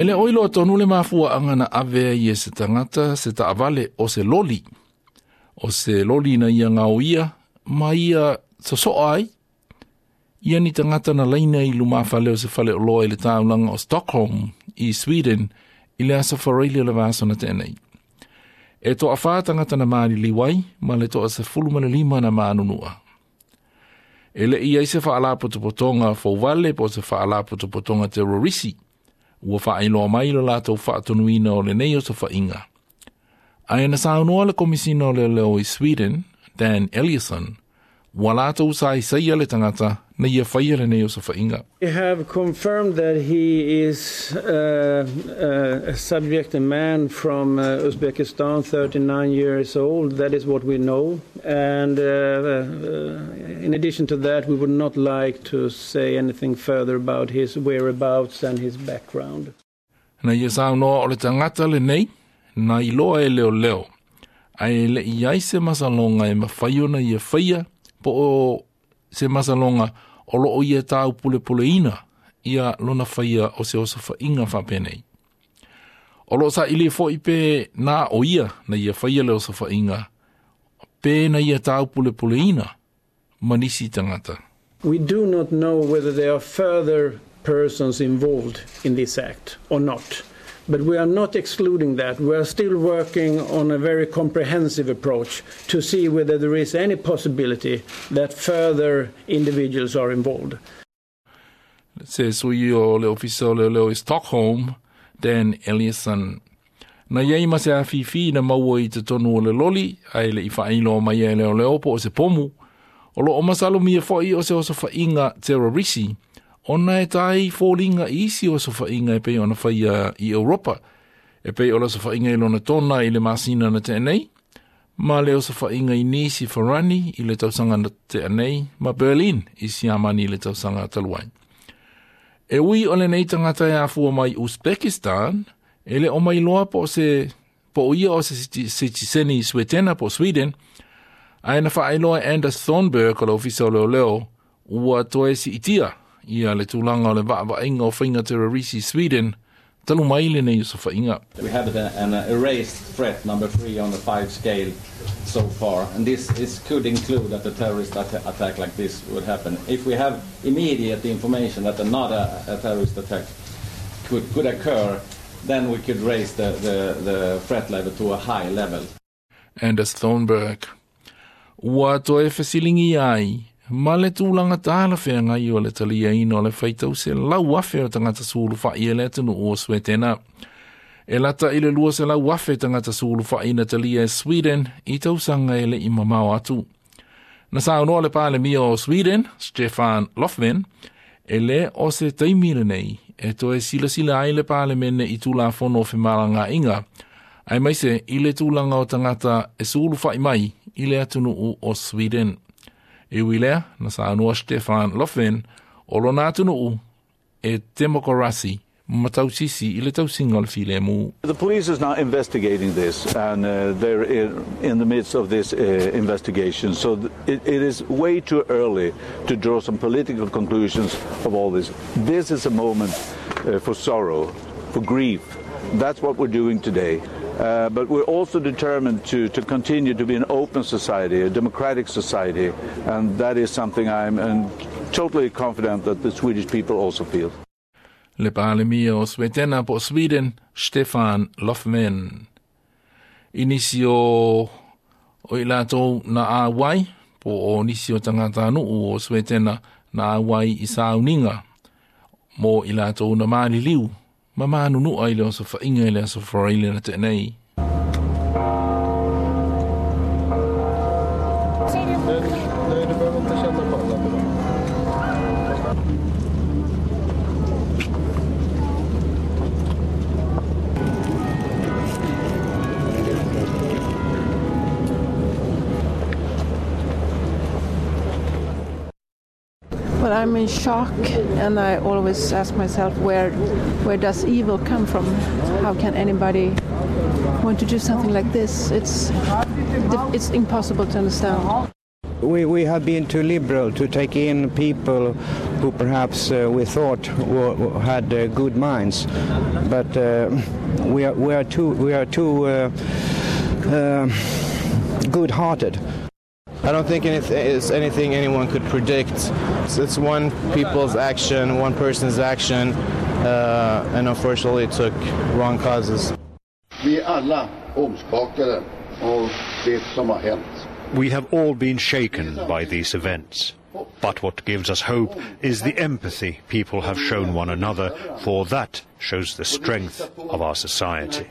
E le o iloa tonu le mafuaaga na ave ai e se tagata se taavale o se loli. O se loli na ia gaoia ma ia sosoa ai. Ia ni tagata na laina i lumafale o se faleoloa i le taulaga o Stockholm i Sweden i le aso Faraile o le vaiaso na tea nei. E toafa tagata na maliliu ai ma le 15 na manunua. E le i ai se faalapotopotoga fouvale po o se faalapotopotoga terorisi ua faailoa mai lo latou faatonuina o lenei osofaiga. Ae na saunoa le Komisina o Leoleo i Sweden, Dan Eliasson, ua latou saisaia le tagata na ia faia lenei osofaiga. We have confirmed that he is a subject, a man from Uzbekistan, 39 years old. That is what we know. And in addition to that, we would not like to say anything further about his whereabouts and his background. Na ia saunoa o le tagata lenei, na iloa e leoleo, ae le i ai se masaloga e mafai ona ia faia, po o se masaloga o loo ia taupulepuleina ia lona faia o se osofaiga faapenei. O loo saili foi pe na o ia na ia faia le osofaiga, pe na ia taupulepuleina ma nisi tagata. We do not know whether there are further persons involved in this act or not. But we are not excluding that. We are still working on a very comprehensive approach to see whether there is any possibility that further individuals are involved. Se sui o le ofisa o leoleo i Stockholm, Dan Eliasson. Na iai ma se afifi na maua i totonu o le loli, ae le i faailoa mai e leoleo po o se pomu, o loo masalomia foi o se osofaiga terrorisi, ona e tai foliga i isi osofaiga e pei ona faia i Europa, e pei o le osofaiga i Lonatona i le masina na tea nei, ma le osofaiga i Nice i Farani i le tausaga na tea nei, ma Berlin i Siamani i le tausaga talu ai. E ui o lenei tagata e afua mai Uzbekistan, e le o mailoa po o se po o ia o se sitiseni Suetena po o Sweden, ae na faailoa e Anders Thornberg o le ofisa o leoleo ua toe siitia ia le tulaga o le vaavaaiga o faiga terrorisi i Sweden talu mai lenei osofaiga. We have an erased threat number 3 on the 5 scale so far, and this could include that a terrorist attack like this would happen. If we have immediate information that another terrorist attack could occur, then we could raise the threat level to a high level. Anders Thornberg. Ua toe fesiligia ai ma le tulaga talafeagai o le taliaina o le faitau 100,000 o tagata sulufai e le atunuu o Suetena. E lata i le 200,000 tagata sulufai na talia e Sweden i tausaga e le i mamao atu. Na saunoa le Palemia o Sweden, Stefan Löfven, e le o se taimi lenei e toe silasila ai le Palemene i Tulafono o femalagaaiga, aemaise i le tulaga o tagata e sulufai mai i le atunuu o Sweden. E ui lea, na saunoa Stefan Löfven o lona atunuu e temokarasi ma tausisi i le tausiga o le filemu. The police is now investigating this, and they're in the midst of this investigation. So it is way too early to draw some political conclusions of all this. This is a moment for sorrow, for grief. That's what we're doing today. But we're also determined to continue to be an open society, a democratic society, and that is something I'm totally confident that the Swedish people also feel. Le Palemia o Suetena po Sweden, Stefan Löfven. I nisi o i latou na auai, po o nisi o tagatanuu o Suetena na auai i sauniga, mo i latou na maliliu, ma manunua i le osofaiga i le aso Faraile na tea nei. Nej, du behöver inte känna på alla. Well, I'm in shock, and I always ask myself, where does evil come from? How can anybody want to do something like this? It's impossible to understand. We, we have been too liberal to take in people who perhaps we thought were, had good minds, but we are we are too we are too good-hearted. I don't think it's anything anyone could predict. It's, it's one people's action, one person's action, and unfortunately it took wrong causes. Vi är alla omskakade av det som har hänt. We have all been shaken by these events. But what gives us hope is the empathy people have shown one another, for that shows the strength of our society.